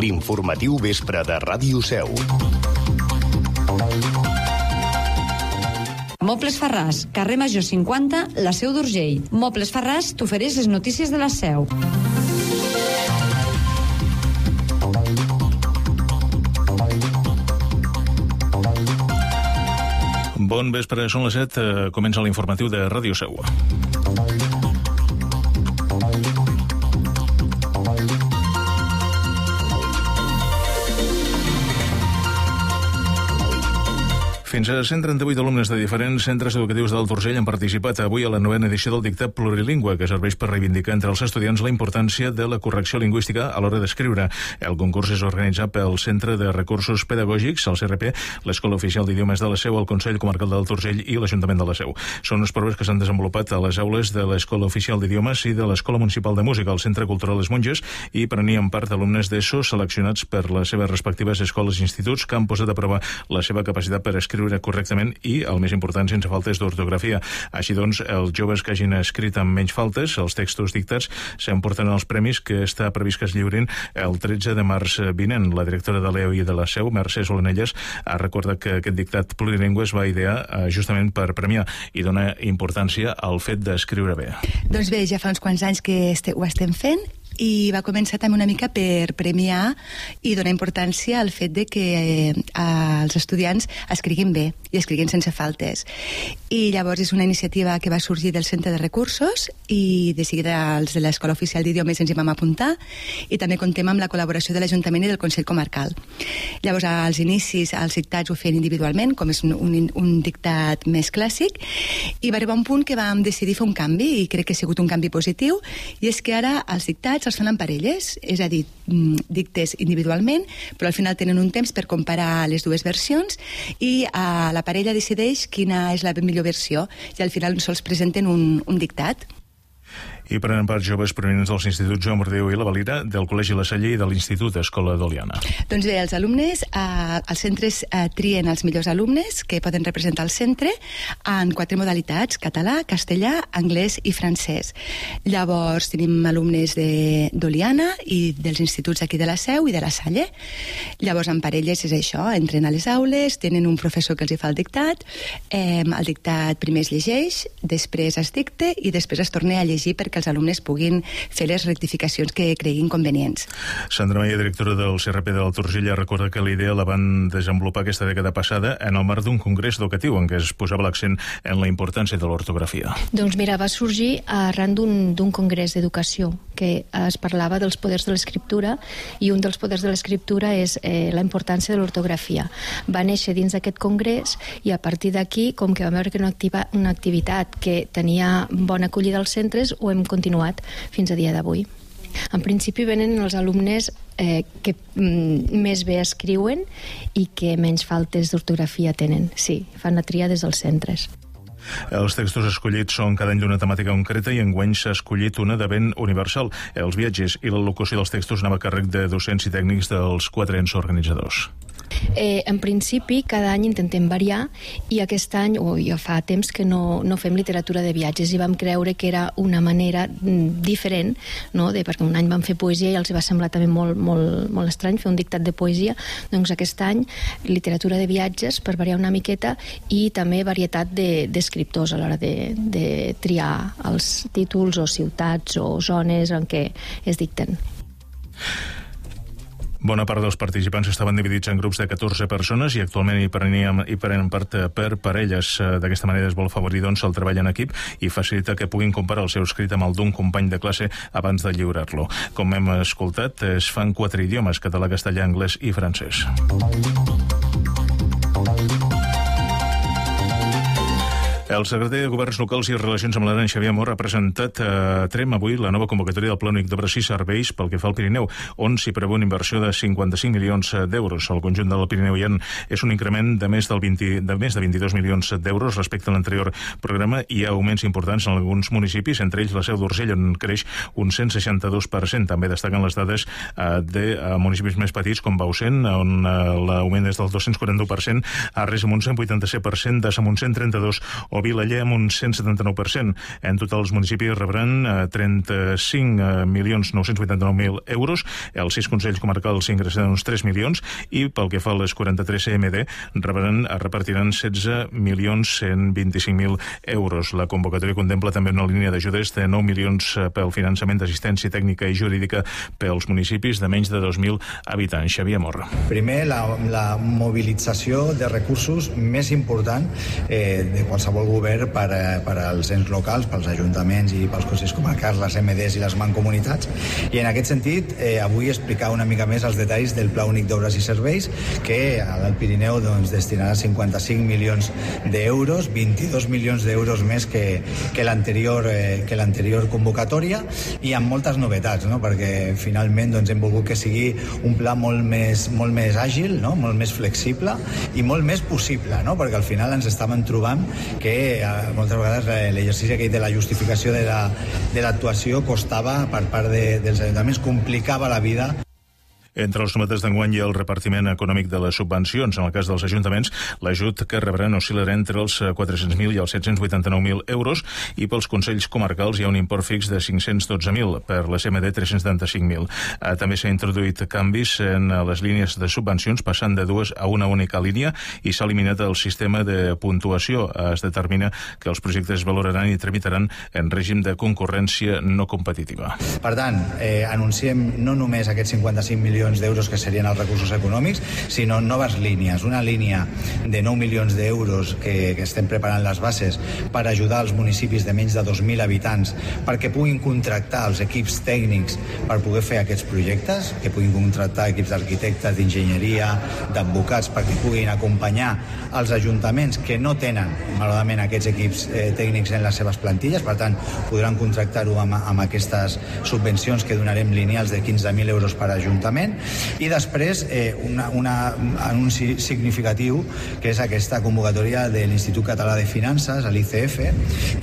L'informatiu vespre de Ràdio Seu. Mobles Farràs, carrer Major 50, la Seu d'Urgell. Mobles Farràs t'ofereix les notícies de la Seu. Bon vespre, són les 7, comença l'informatiu de Ràdio Seu. Fins a 138 alumnes de diferents centres educatius d'Alt Urgell han participat avui a la 9a edició del dictat plurilingüe, que serveix per reivindicar entre els estudiants la importància de la correcció lingüística a l'hora d'escriure. El concurs és organitzat pel Centre de Recursos Pedagògics, el CRP, l'Escola Oficial d'Idiomes de la Seu, el Consell Comarcal d'Alt Urgell i l'Ajuntament de la Seu. Són les proves que s'han desenvolupat a les aules de l'Escola Oficial d'Idiomes i de l'Escola Municipal de Música, al Centre Cultural Les Monges, i prenien part alumnes d'ESO seleccionats per les seves respectives escoles i instituts que han posat a prova la seva capacitat per escriure correctament i, el més important, sense faltes d'ortografia. Així doncs, els joves que hagin escrit amb menys faltes, els textos dictats, s'emporten els premis que està previst que es lliurin el 13 de març vinent. La directora de l'EO i de la Seu, Mercè Solanelles, ha recordat que aquest dictat plurilingüe es va idear justament per premiar i donar importància al fet d'escriure bé. Doncs bé, ja fa uns quants anys que ho estem fent i va començar també una mica per premiar i donar importància al fet de que els estudiants escriguin bé i escriguin sense faltes. I llavors és una iniciativa que va sorgir del Centre de Recursos i de seguida els de l'Escola Oficial d'Idiomes ens hi vam apuntar i també contem amb la col·laboració de l'Ajuntament i del Consell Comarcal. Llavors, als inicis, els dictats ho feien individualment, com és un dictat més clàssic, i va arribar un punt que vam decidir fer un canvi, i crec que ha sigut un canvi positiu, i és que ara els dictats els fan en parelles, és a dir, dictes individualment, però al final tenen un temps per comparar les dues versions i la parella decideix quina és la millor versió i al final sols presenten un dictat. I prenen part joves provenents dels instituts Joan Bordeu i la Valira, del Col·legi La Salle i de l'Institut Escola d'Oliana. Doncs bé, els alumnes, els centres trien els millors alumnes que poden representar el centre en 4 modalitats: català, castellà, anglès i francès. Llavors tenim alumnes d'Oliana i dels instituts aquí de la Seu i de la Salle. Llavors en parelles és això, entren a les aules, tenen un professor que els hi fa el dictat, el dictat primer es llegeix, després es dicta i després es torna a llegir perquè els alumnes puguin fer les rectificacions que creguin convenients. Sandra Maia, directora del CRP d'Alt Urgell, recorda que la idea la van desenvolupar aquesta dècada passada en el marc d'un congrés educatiu en què es posava l'accent en la importància de l'ortografia. Doncs mira, va sorgir arran d'un congrés d'educació que es parlava dels poders de l'escriptura i un dels poders de l'escriptura és la importància de l'ortografia. Va néixer dins d'aquest congrés i a partir d'aquí, com que vam veure que era una activitat que tenia bona acollida als centres, ho hem continuat fins a dia d'avui. En principi venen els alumnes que més bé escriuen i que menys faltes d'ortografia tenen. Sí, fan la tria des dels centres. Els textos escollits són cada any d'una temàtica concreta i enguany s'ha escollit una de ben universal. Els viatges i la locució dels textos anava a càrrec de docents i tècnics dels 4 ens organitzadors. En principi, cada any intentem variar i aquest any, o ja fa temps que no fem literatura de viatges i vam creure que era una manera diferent, no? Perquè un any vam fer poesia i els va semblar també molt estrany fer un dictat de poesia, doncs aquest any literatura de viatges per variar una miqueta i també varietat d'escriptors a l'hora de triar els títols o ciutats o zones en què es dicten. Bona part dels participants estaven dividits en grups de 14 persones i actualment hi prenen part per parelles. D'aquesta manera es vol afavorir doncs, el treball en equip i facilitar que puguin comparar el seu escrit amb el d'un company de classe abans de lliurar-lo. Com hem escoltat, es fan 4 idiomes: català, castellà, anglès i francès. El secretari de Governs Locals i Relacions amb l'Aran, Xavier Mor, ha presentat a Trem avui la nova convocatòria del Pla Únic d'Obres i Serveis pel que fa al Pirineu, on s'hi preveu una inversió de 55 milions d'euros. El conjunt del Pirineu és un increment de més de 22 milions d'euros respecte a l'anterior programa. Hi ha augments importants en alguns municipis, entre ells la Seu d'Urgell, on creix un 162%. També destaquen les dades de municipis més petits com Bausen, on l'augment és del 241%, Arres amb un 187%, Dassa amb un 132% o el Vilaller amb un 179%. En total, els municipis rebran 35.989.000 euros, els 6 consells comarcals ingressaran uns 3 milions i pel que fa a les 43 CMD repartiran 16.125.000 euros. La convocatòria contempla també una línia d'ajudes de 9 milions pel finançament d'assistència tècnica i jurídica pels municipis de menys de 2.000 habitants. Xavier Morra. Primer, la mobilització de recursos més important de qualsevol govern per als ens locals, pels ajuntaments i pels consells comarcals, les MDs i les mancomunitats. I en aquest sentit, avui explicar una mica més els detalls del Pla Únic d'Obres i Serveis, que al Pirineu destinarà 55 milions d'euros, 22 milions d'euros més que l'anterior convocatòria, i amb moltes novetats, no? Perquè finalment hem volgut que sigui un pla molt més àgil, no? Molt més flexible i molt més possible, no? Perquè al final ens estàvem trobant que moltes vegades l'exercici aquell de la justificació de l'actuació costava per part dels ajuntaments, complicava la vida. Entre els novetats d'enguany hi ha el repartiment econòmic de les subvencions. En el cas dels ajuntaments, l'ajut que rebran oscil·larà entre els 400.000 i els 789.000 euros, i pels consells comarcals hi ha un import fix de 512.000, per la CMD 375.000. També s'ha introduït canvis en les línies de subvencions, passant de 2 a una única línia, i s'ha eliminat el sistema de puntuació. Es determina que els projectes es valoraran i tramitaran en règim de concurrència no competitiva. Per tant, anunciem no només aquests 55 milions d'euros que serien els recursos econòmics, sinó noves línies. Una línia de 9 milions d'euros que estem preparant les bases per ajudar els municipis de menys de 2.000 habitants perquè puguin contractar els equips tècnics per poder fer aquests projectes, que puguin contractar equips d'arquitectes, d'enginyeria, d'advocats, perquè puguin acompanyar els ajuntaments que no tenen, malauradament, aquests equips tècnics en les seves plantilles. Per tant, podran contractar-ho amb aquestes subvencions que donarem lineals de 15.000 euros per ajuntament. I després un anunci significatiu, que és aquesta convocatòria de l'Institut Català de Finances, l'ICF,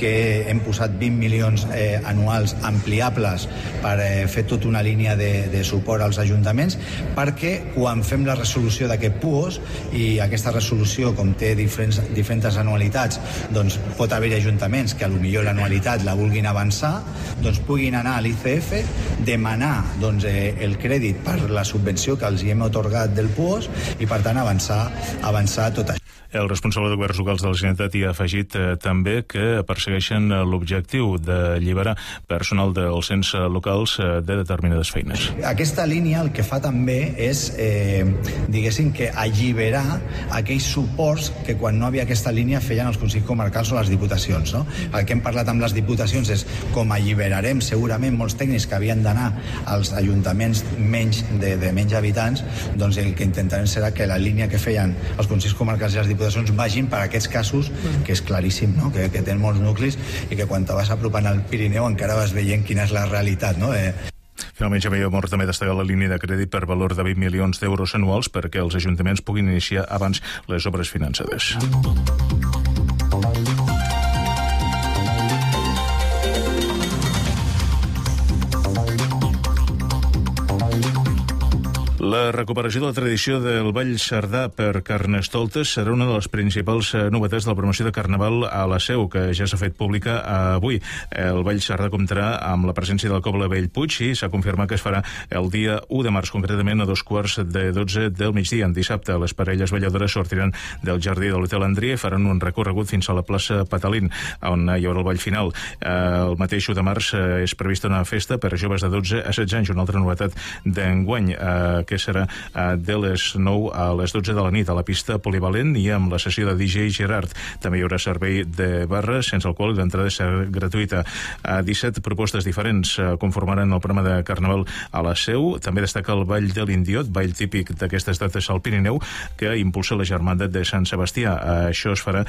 que hem posat 20 milions anuals ampliables per fer tota una línia de suport als ajuntaments, perquè quan fem la resolució d'aquest PUOS, i aquesta resolució, com té diferents anualitats, doncs pot haver ajuntaments que potser l'anualitat la vulguin avançar, doncs puguin anar a l'ICF, demanar el crèdit per la subvenció que els hi hem atorgat del PUOS, i per tant avançar tot això. El responsable de governs locals de la Generalitat hi ha afegit també que persegueixen l'objectiu d'alliberar personal dels ens locals de determinades feines. Aquesta línia el que fa també és, diguéssim, que alliberar aquells suports que quan no havia aquesta línia feien els consells comarcals o les diputacions, no? El que hem parlat amb les diputacions és com alliberarem segurament molts tècnics que havien d'anar als ajuntaments de menys habitants, doncs el que intentarem serà que la línia que feien els consells comarcals i les diputacions vagin per aquests casos, que és claríssim, no? que tenen molts nuclis, i que quan te vas apropant al Pirineu encara vas veient quina és la realitat, no? Finalment, Xavier Mor també destaca la línia de crèdit per valor de 20 milions d'euros anuals perquè els ajuntaments puguin iniciar abans les obres finançades. La recuperació de la tradició del Ball Cerdà per Carnestoltes serà una de les principals novetats de la promoció de Carnaval a la Seu, que ja s'ha fet pública avui. El Ball Cerdà comptarà amb la presència del Coble Bellpuig i s'ha confirmat que es farà el dia 1 de març, concretament a 2:15 del migdia. En dissabte, les parelles balladores sortiran del jardí de l'Hotel Andria i faran un recorregut fins a la plaça Patalín, on hi haurà el ball final. El mateix 1 de març és prevista una festa per a joves de 12 a 16 anys, una altra novetat d'enguany, que serà de les 9 a les 12 de la nit a la pista polivalent i amb la sessió de DJ Gerard. També hi haurà servei de barra sense alcohol i l'entrada serà gratuïta. 17 propostes diferents conformaran el programa de Carnaval a la Seu. També destaca el Ball de l'Indiot, ball típic d'aquestes dates al Pirineu, que impulsa la Germandat de Sant Sebastià. Això es farà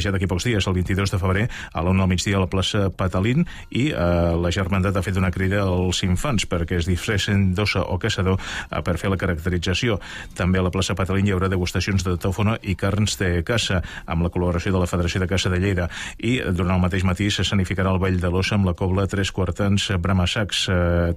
ja d'aquí pocs dies, el 22 de febrer, a l'1 al migdia a la plaça Patalín, i la Germandat ha fet una crida als infants perquè es disfressin d'ossa o caçador per fer la característica caracterització. També a la plaça Patalín hi haurà degustacions de tòfona i carns de caça, amb la col·laboració de la Federació de Caça de Lleida. I durant el mateix matí s'escenificarà el Ball de l'Ossa amb la cobla Tres Quartans Bramassacs,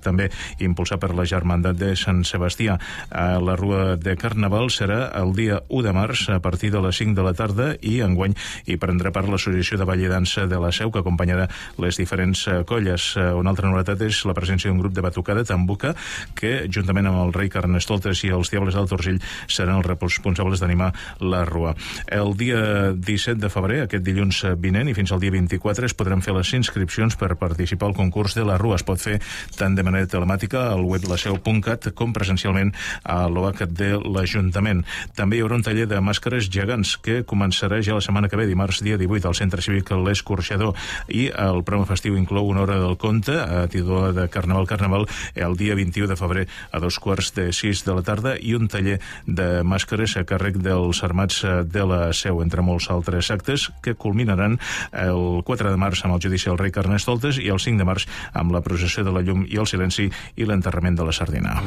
també impulsat per la Germandat de Sant Sebastià. La rua de Carnaval serà el dia 1 de març a partir de les 5 de la tarda i enguany hi prendrà part l'Associació de Ball i Dansa de la Seu, que acompanyarà les diferents colles. Una altra novetat és la presència d'un grup de batucada tambuca que, juntament amb el rei Carnestoltes i els Diables d'Alt Urgell, seran els responsables d'animar la rua. El dia 17 de febrer, aquest dilluns vinent, i fins al dia 24 es podran fer les inscripcions per participar al concurs de la rua. Es pot fer tant de manera telemàtica al web laseu.cat com presencialment a l'OAC de l'Ajuntament. També hi haurà un taller de màscares gegants que començarà ja la setmana que ve, dimarts dia 18, al Centre Cívic L'Escorxador, i el programa festiu inclou una hora del conte a títol de Carnaval el dia 21 de febrer a 5:45 de la tarda i un taller de màscares a càrrec dels Armats de la Seu, entre molts altres actes que culminaran el 4 de març amb el judici del rei Carnestoltes i el 5 de març amb la processió de la llum i el silenci i l'enterrament de la sardina.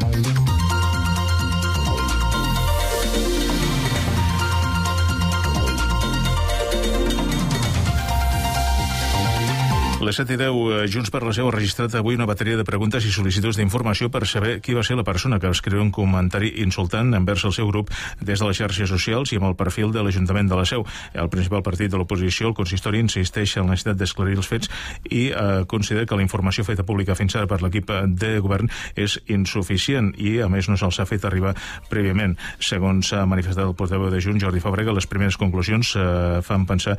Les 7:10, Junts per la Seu ha registrat avui una bateria de preguntes i sol·licituds d'informació per saber qui va ser la persona que va escriure un comentari insultant envers el seu grup des de les xarxes socials i amb el perfil de l'Ajuntament de la Seu. El principal partit de l'oposició, el consistori, insisteix en la necessitat d'esclarir els fets i considera que la informació feta pública fins ara per l'equip de govern és insuficient i, a més, no se'ls ha fet arribar prèviament. Segons ha manifestat el portaveu de Junts, Jordi Fàbrega, les primeres conclusions fan pensar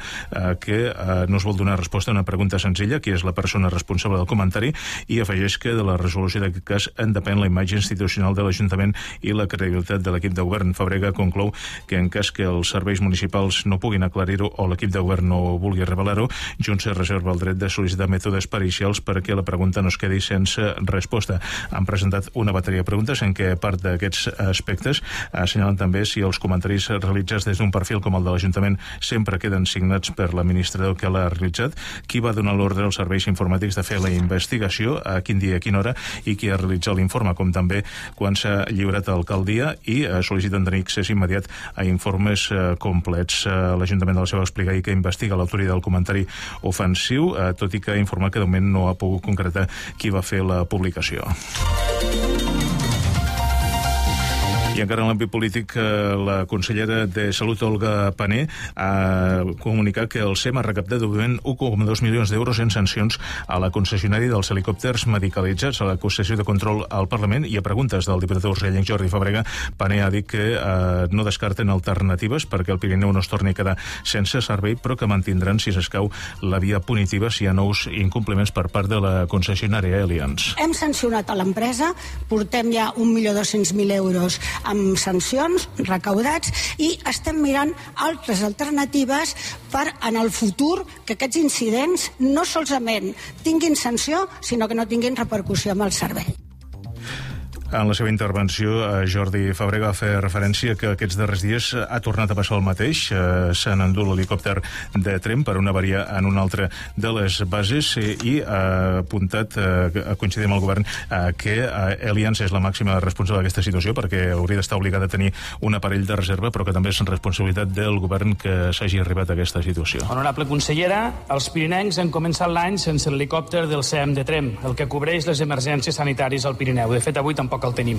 que no es vol donar resposta a una pregunta senzilla, qui és la persona responsable del comentari, i afegeix que de la resolució d'aquest cas en depèn la imatge institucional de l'Ajuntament i la credibilitat de l'equip de govern. Fàbrega conclou que en cas que els serveis municipals no puguin aclarir-ho o l'equip de govern no vulgui revelar-ho, Junts es reserva el dret de sol·licitar mètodes pericials perquè la pregunta no es quedi sense resposta. Han presentat una bateria de preguntes en què part d'aquests aspectes assenyalen també si els comentaris realitzats des d'un perfil com el de l'Ajuntament sempre queden signats per l'administrador que l'ha realitzat, qui va donar l'ordre als serveis informàtics de fer la investigació, a quin dia i a quina hora, i qui ha realitzat l'informe, com també quan s'ha lliurat a l'alcaldia, i sol·liciten tenir accés immediat a informes complets. L'Ajuntament de la Seu va explicar ahir que investiga l'autoria del comentari ofensiu, tot i que ha informat que de moment no ha pogut concretar qui va fer la publicació. I encara en l'àmbit polític, la consellera de Salut, Olga Pané, ha comunicat que el SEM ha recaptat de moment 1,2 milions d'euros en sancions a la concessionària dels helicòpters medicalitzats. A la sessió de control al Parlament i a preguntes del diputat urgellenc Jordi Fàbrega, Pané ha dit que no descarten alternatives perquè el Pirineu no es torni a quedar sense servei, però que mantindran, si s'escau, la via punitiva si hi ha nous incompliments per part de la concessionària Allianz. Hem sancionat a l'empresa, portem ja 1.200.000 euros amb sancions recaudats i estem mirant altres alternatives per en el futur que aquests incidents no solament tinguin sanció, sinó que no tinguin repercussió amb el servei. En la seva intervenció, Jordi Fàbrega va fer referència que aquests darrers dies ha tornat a passar el mateix. S'han endut l'helicòpter de Tremp per una avaria en una altra de les bases i ha apuntat, a coincidir amb el govern, que Allianz és la màxima responsable d'aquesta situació perquè hauria d'estar obligada a tenir un aparell de reserva, però que també és responsabilitat del govern que s'hagi arribat a aquesta situació. Honorable consellera, els pirinencs han començat l'any sense l'helicòpter del SEM de Tremp, el que cobreix les emergències sanitàries al Pirineu. De fet, avui tampoc el tenim.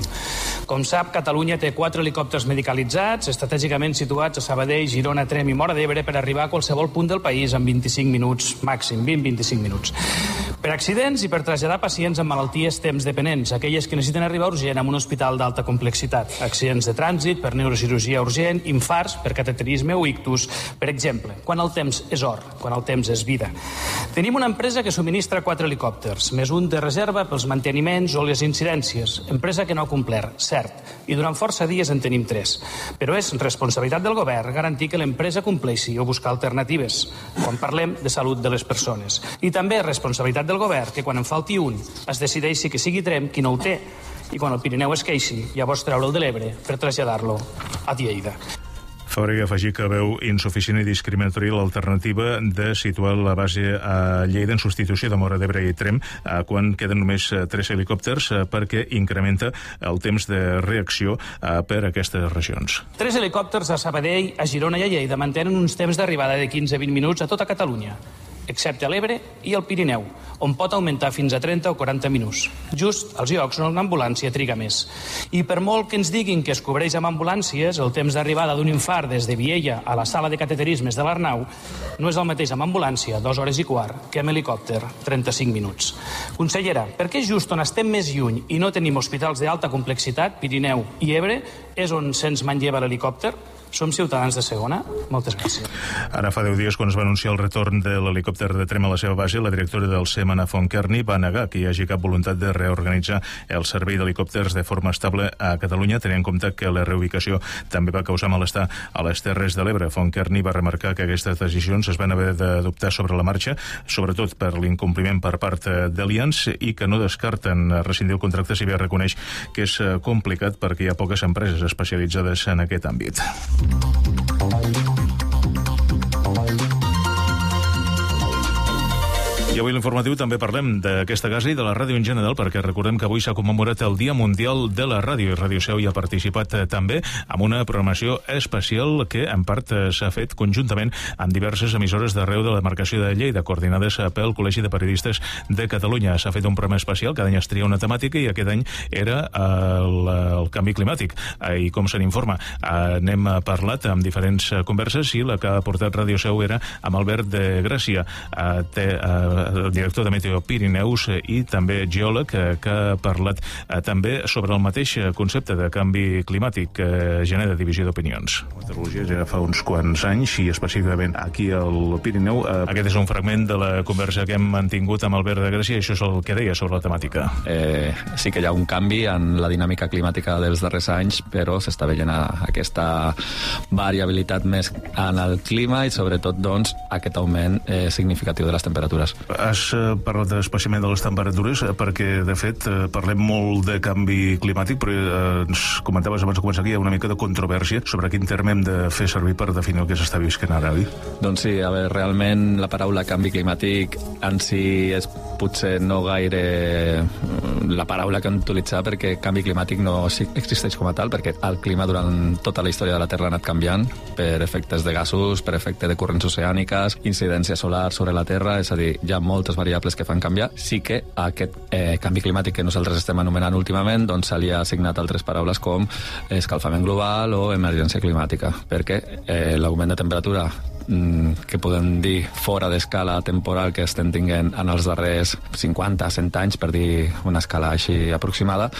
Com sap, Catalunya té 4 helicòpters medicalitzats, estratègicament situats a Sabadell, Girona, Tremp i Móra d'Ebre per arribar a qualsevol punt del país en 25 minuts, màxim, 20-25 minuts. Per accidents i per traslladar pacients amb malalties temps dependents, aquelles que necessiten arribar urgent a un hospital d'alta complexitat, accidents de trànsit, per neurocirurgia urgent, infarts, per cateterisme o ictus, per exemple, quan el temps és or, quan el temps és vida. Tenim una empresa que subministra 4 helicòpters, més un de reserva pels manteniments o les incidències, empresa que no ha complert, cert, i durant força dies en tenim 3. Però és responsabilitat del govern garantir que l'empresa compleixi o buscar alternatives, quan parlem de salut de les persones. I també és responsabilitat del govern que quan en falti un es decideixi que sigui Tremp qui no ho té, i quan el Pirineu es queixi, llavors treure'l de l'Ebre per traslladar-lo a Lleida. Fàbrega afegir que veu insuficient i discriminatori l'alternativa de situar la base a Lleida en substitució de Móra d'Ebre i Tremp quan queden només 3 helicòpters perquè incrementa el temps de reacció per a aquestes regions. 3 helicòpters a Sabadell, a Girona i a Lleida mantenen uns temps d'arribada de 15-20 minuts a tota Catalunya, excepte a l'Ebre i el Pirineu, on pot augmentar fins a 30 o 40 minuts, just als llocs on una ambulància triga més. I per molt que ens diguin que es cobreix amb ambulàncies, el temps d'arribada d'un infart des de Viella a la sala de cateterismes de l'Arnau no és el mateix amb ambulància, 2 hores i quart, que amb helicòpter, 35 minuts. Consellera, per què just on estem més lluny i no tenim hospitals d'alta complexitat, Pirineu i Ebre, és on se'ns manlleva l'helicòpter? Som ciutadans de segona? Moltes gràcies. Ara fa 10 dies, quan es va anunciar el retorn de l'helicòpter de Tremp a la seva base, la directora del SEM, Anna Fontkerny, va negar que hi hagi cap voluntat de reorganitzar el servei d'helicòpters de forma estable a Catalunya, tenint en compte que la reubicació també va causar malestar a les Terres de l'Ebre. Fontkerny va remarcar que aquestes decisions es van haver d'adoptar sobre la marxa, sobretot per l'incompliment per part d'Allianz, i que no descarten rescindir el contracte, si bé reconeix que és complicat perquè hi ha poques empreses especialitzades en aquest àmbit. I avui l'informatiu també parlem d'aquesta casa i de la ràdio en general, perquè recordem que avui s'ha commemorat el Dia Mundial de la Ràdio, i Ràdio Seu hi ha participat també amb una programació especial que en part s'ha fet conjuntament amb diverses emissores d'arreu de la demarcació de Lleida, coordinades pel Col·legi de Periodistes de Catalunya. S'ha fet un programa especial, cada any es tria una temàtica, i aquest any era el canvi climàtic. I com se n'informa? N'hem parlat amb diferents converses, i la que ha portat Ràdio Seu era amb Albert de Gràcia, director de Meteo Pirineus i també geòleg, que ha parlat també sobre el mateix concepte de canvi climàtic que genera divisió d'opinions. La meteorologia ja fa uns quants anys, i específicament aquí al Pirineu. Aquest és un fragment de la conversa que hem mantingut amb Albert de Gràcia, i això és el que deia sobre la temàtica. Sí que hi ha un canvi en la dinàmica climàtica dels darrers anys, però s'està veient aquesta variabilitat més en el clima i sobretot doncs aquest augment significatiu de les temperatures. Has parlat especialment de les temperatures perquè, de fet, parlem molt de canvi climàtic, però ens comentaves abans de començar aquí, hi ha una mica de controvèrsia sobre quin terme hem de fer servir per definir el que s'està visquent ara, oi? Doncs sí, a veure, realment la paraula canvi climàtic en si és potser no gaire la paraula que hem d'utilitzar, perquè canvi climàtic no existeix com a tal, perquè el clima durant tota la història de la Terra ha anat canviant per efectes de gasos, per efecte de corrents oceàniques, incidència solar sobre la Terra, és a dir, hi ha moltes variables que fan canviar. Sí que aquest canvi climàtic que nosaltres estem anomenant últimament, doncs se li ha assignat altres paraules com escalfament global o emergència climàtica, perquè l'augment de temperatura que podem dir fora d'escala temporal que estem tinguent en els darrers 50-100 anys, per dir una escala així aproximada,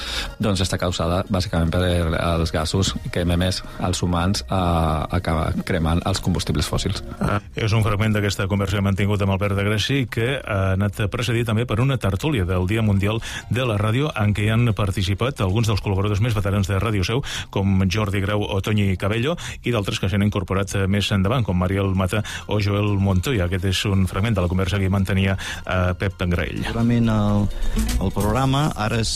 doncs està causada bàsicament per els gasos que ememés els humans cremant els combustibles fòssils. És un fragment d'aquesta conversa que hem mantingut amb Albert de Gràcia, que ha anat precedit també per una tertúlia del Dia Mundial de la Ràdio, en què hi han participat alguns dels col·laboradors més veterans de Ràdio Seu, com Jordi Grau o Toni Cabello, i d'altres que s'han incorporat més endavant, com Mariel Mata o Joel Montoya. Aquest és un fragment de la conversa que hi mantenia Pep Graell. Segurament el programa ara és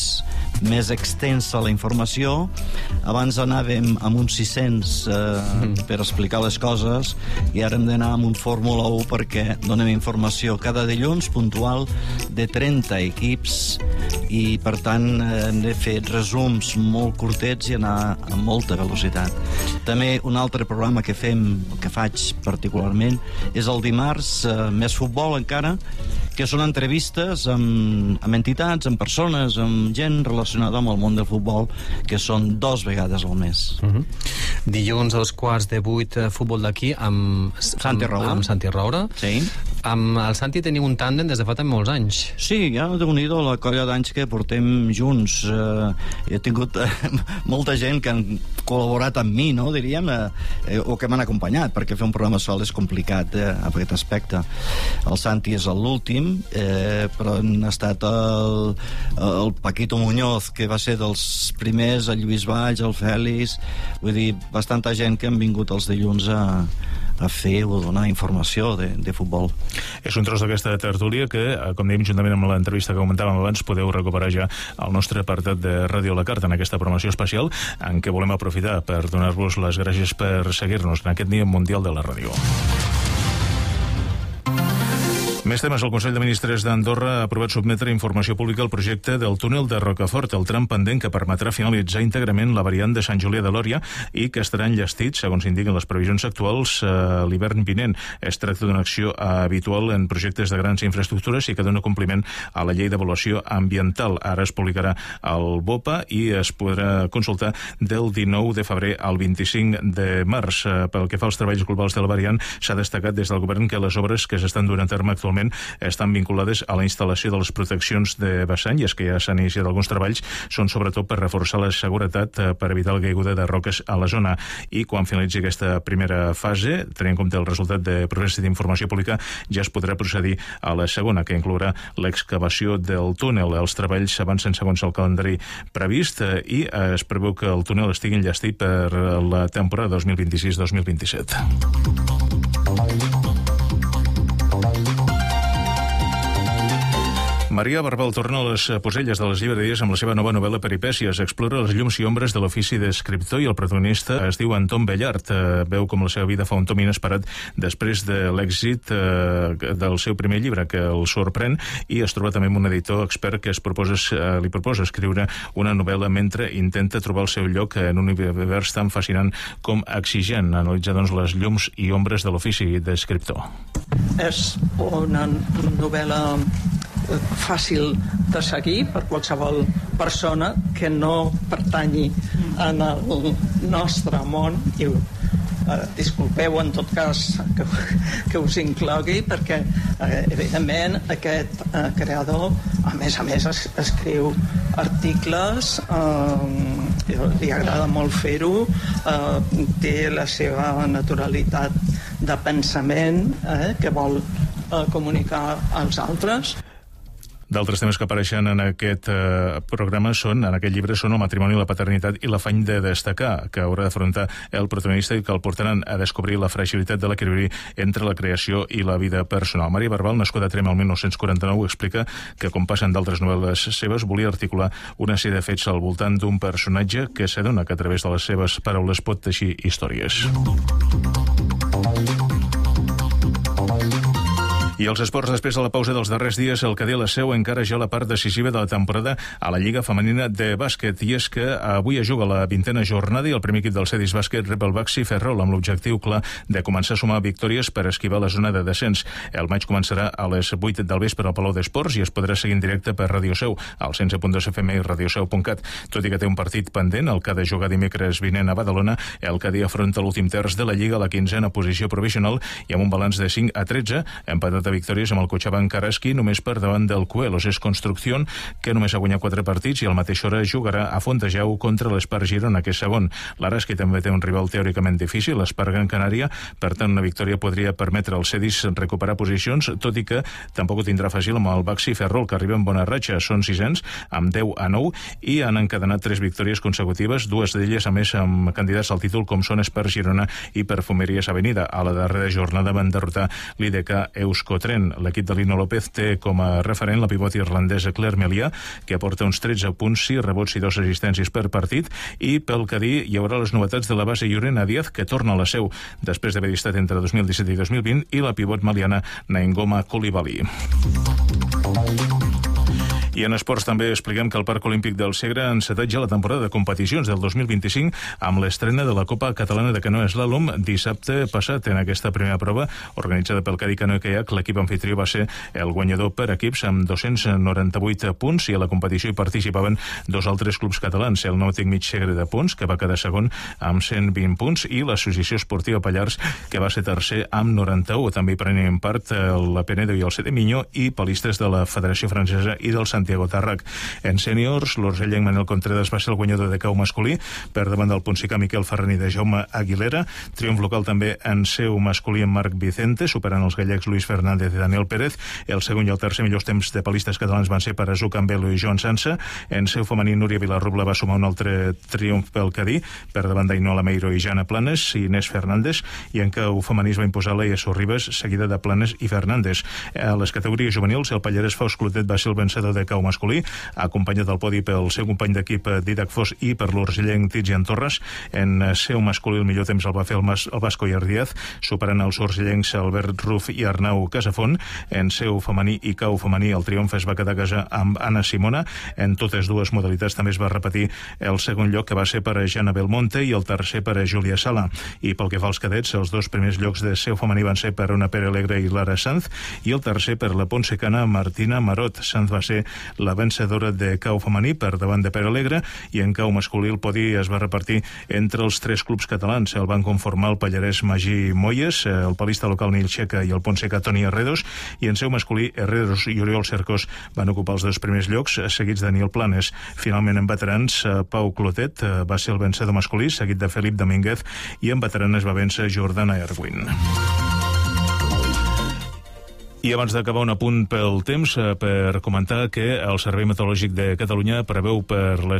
més extensa la informació. Abans anàvem amb uns 600 per explicar les coses, i ara hem d'anar amb un Fórmula 1 perquè donem informació cada dilluns puntual de 30 equips, i per tant hem de fer resums molt curtets i anar amb molta velocitat. També un altre programa que faig particularment és el dimarts, més futbol encara, que són entrevistes amb entitats, amb persones, amb gent relacionada amb el món del futbol, que són 2 vegades al mes. Dilluns als 7:15, futbol d'aquí amb Santi Roura. Sí. Amb el Santi teniu un tàndem des de fa molts anys. Sí, ja Déu-n'hi-do la colla d'anys que portem junts. He tingut molta gent que han col·laborat amb mi, no, diríem, o que m'han acompanyat, perquè fer un programa sol és complicat en aquest aspecte. El Santi és l'últim, però han estat el Paquito Muñoz, que va ser dels primers, el Lluís Valls, el Fèlix, vull dir, bastanta gent que han vingut els dilluns a a fer o donar informació de futbol. És un tros d'aquesta tertúlia que, com dèiem, juntament amb l'entrevista que comentàvem abans, podeu recuperar ja al nostre apartat de Ràdio La Carta en aquesta programació especial en què volem aprofitar per donar-vos les gràcies per seguir-nos en aquest Dia Mundial de la Ràdio. Més temes. El Consell de Ministres d'Andorra ha aprovat sotmetre a informació pública el projecte del túnel de Rocafort, el tram pendent que permetrà finalitzar íntegrament la variant de Sant Julià de Lòria i que estarà enllestit, segons indiquen les previsions actuals, l'hivern vinent. Es tracta d'una acció habitual en projectes de grans infraestructures i que dona compliment a la llei d'avaluació ambiental. Ara es publicarà al BOPA i es podrà consultar del 19 de febrer al 25 de març. Pel que fa als treballs globals de la variant, s'ha destacat des del govern que les obres que s'estan duent a terme actualment estan vinculades a la instal·lació de les proteccions de vessant, i és que ja s'han iniciat alguns treballs, són sobretot per reforçar la seguretat per evitar la caiguda de roques a la zona. I quan finalitzi aquesta primera fase, tenint en compte el resultat de procés d'informació pública, ja es podrà procedir a la segona, que inclourà l'excavació del túnel. Els treballs avancen segons el calendari previst i es preveu que el túnel estigui enllestit per la temporada 2026-2027. Maria Barbal torna a les poselles de les llibreries amb la seva nova novel·la Peripècies. Explora les llums i ombres de l'ofici d'escriptor i el protagonista es diu Anton Bellart. Veu com la seva vida fa un tom inesperat després de l'èxit del seu primer llibre, que el sorprèn, i es troba també amb un editor expert que li proposa escriure una novel·la mentre intenta trobar el seu lloc en un univers tan fascinant com exigent. Analitza, doncs, les llums i ombres de l'ofici d'escriptor. És una novel·la fàcil de seguir per qualsevol persona que no pertanyi en el nostre món i disculpeu en tot cas que us inclogui perquè evidentment aquest creador a més escriu articles, li agrada molt fer-ho, té la seva naturalitat de pensament que vol comunicar als altres. D'altres temes que apareixen en aquest programa en aquest llibre són el matrimoni, la paternitat i l'afany de destacar que haurà d'afrontar el protagonista i que el portaran a descobrir la fragilitat de l'equilibri entre la creació i la vida personal. Maria Barbal, nascuda a Tremp el 1949, explica que, com passen d'altres novel·les seves, volia articular una sèrie de fets al voltant d'un personatge que s'adona que a través de les seves paraules pot teixir històries. I els esports, després de la pausa dels darrers dies, el Cadí a la Seu encara ja la part decisiva de la temporada a la Lliga Femenina de Bàsquet. I és que avui es juga la 20a jornada i el primer equip del Cedis Bàsquet rep el Baxi Ferrol amb l'objectiu clar de començar a sumar victòries per esquivar la zona de descens. El maig començarà a les 8 del vespre al Palau d'Esports i es podrà seguir en directe per Radio Seu, al 100.2 FM i radioseu.cat. Tot i que té un partit pendent, el que ha de jugar dimecres vinent a Badalona, el Cadí afronta l'últim terç de la Lliga a la 15a posició provisional i amb un balanç de 5-13, empatat a victòries amb el Cochabamba Karaski, només per davant del Cuelos. És Construcción, que només ha guanyat 4 partits i a la mateixa hora jugarà a Fontejau contra l'Espar Girona, que és segon. L'Araski també té un rival teòricament difícil, l'Espar Gran Canària, per tant una victòria podria permetre als Cedis recuperar posicions, tot i que tampoc ho tindrà fàcil amb el Baxi Ferrol, que arriba en bona ratxa. Són 600, amb 10-9, i han encadenat 3 victòries consecutives, 2 d'elles a més amb candidats al títol com són Espar Girona i Perfumeries Avenida. A la darrera jornada van derrotar l'IDK Euskotren. L'equip de Lino López té com a referent la pivot irlandesa Claire Melià, que aporta uns 13 punts, 6 rebots i 2 assistències per partit, i pel Cadí hi haurà les novetats de la base Llorena Díaz, que torna a la Seu després d'haver estat entre 2017 i 2020, i la pivot maliana Naingoma Coulibaly. I en esports també expliquem que el Parc Olímpic del Segre ha encetat ja la temporada de competicions del 2025 amb l'estrena de la Copa Catalana de Canoa Slalom dissabte passat. En aquesta primera prova, organitzada pel Cadí Canoa Kayak, l'equip anfitrió va ser el guanyador per equips amb 298 punts i a la competició hi participaven 2 altres clubs catalans, el Nàutic Mig Segre de Pons, que va quedar segon amb 120 punts, i l'Associació Esportiva Pallars, que va ser tercer amb 91. També hi prenien part la Penedo i el CD Miño i palistes de la Federació Francesa i del Santiago Santiago Tàrrec. En sèniors, l'urgellenc Manel Contreras va ser el guanyador de cau masculí per davant del Ponsicà Miquel Ferran i de Jaume Aguilera. Triomf local també en seu masculí en Marc Vicente, superant els gallecs Luis Fernández i Daniel Pérez. El segon i el tercer millors temps de palistes catalans van ser per a Azu Campbello i Joan Sansa. En seu femení, Núria Vilarrubla va sumar un altre triomf pel Cadí, per davant d'Ainola Meiro i Jana Planes i Inés Fernández, i en cau femení es va imposar Leia Sorribes, seguida de Planes i Fernández. A les categories juvenils, el pallarès Faust Clotet va ser el vencedor de cau masculí, acompanyat del podi pel seu company d'equip Didac Fos i per l'urgellenc Tizian Torres. En seu masculí el millor temps el va fer el Vasco Iardiaz, superant els urgellencs Albert Ruf i Arnau Casafont. En seu femení i cau femení el triomf es va quedar a casa amb Anna Simona. En totes dues modalitats també es va repetir el segon lloc, que va ser per a Jana Belmonte, i el tercer per a Júlia Sala. I pel que fa als cadets, els dos primers llocs de seu femení van ser per una Pere Alegre i Lara Sanz, i el tercer per la ponsecana Martina Marot. Sanz va ser la vencedora de cau femení per davant de Pere Alegre, i en cau masculí el podi es va repartir entre els tres clubs catalans. El van conformar el pallarès Magí Moyes, el palista local Nil Checa i el ponsecà Toni Herredos, i en seu masculí Herredos i Oriol Cercós van ocupar els dos primers llocs, seguits de Nil Planes. Finalment, en veterans, Pau Clotet va ser el vencedor masculí, seguit de Felip Domínguez, i en veteranes va vèncer Jordana Erwin. I abans d'acabar, un apunt pel temps per comentar que el Servei Meteorològic de Catalunya preveu per les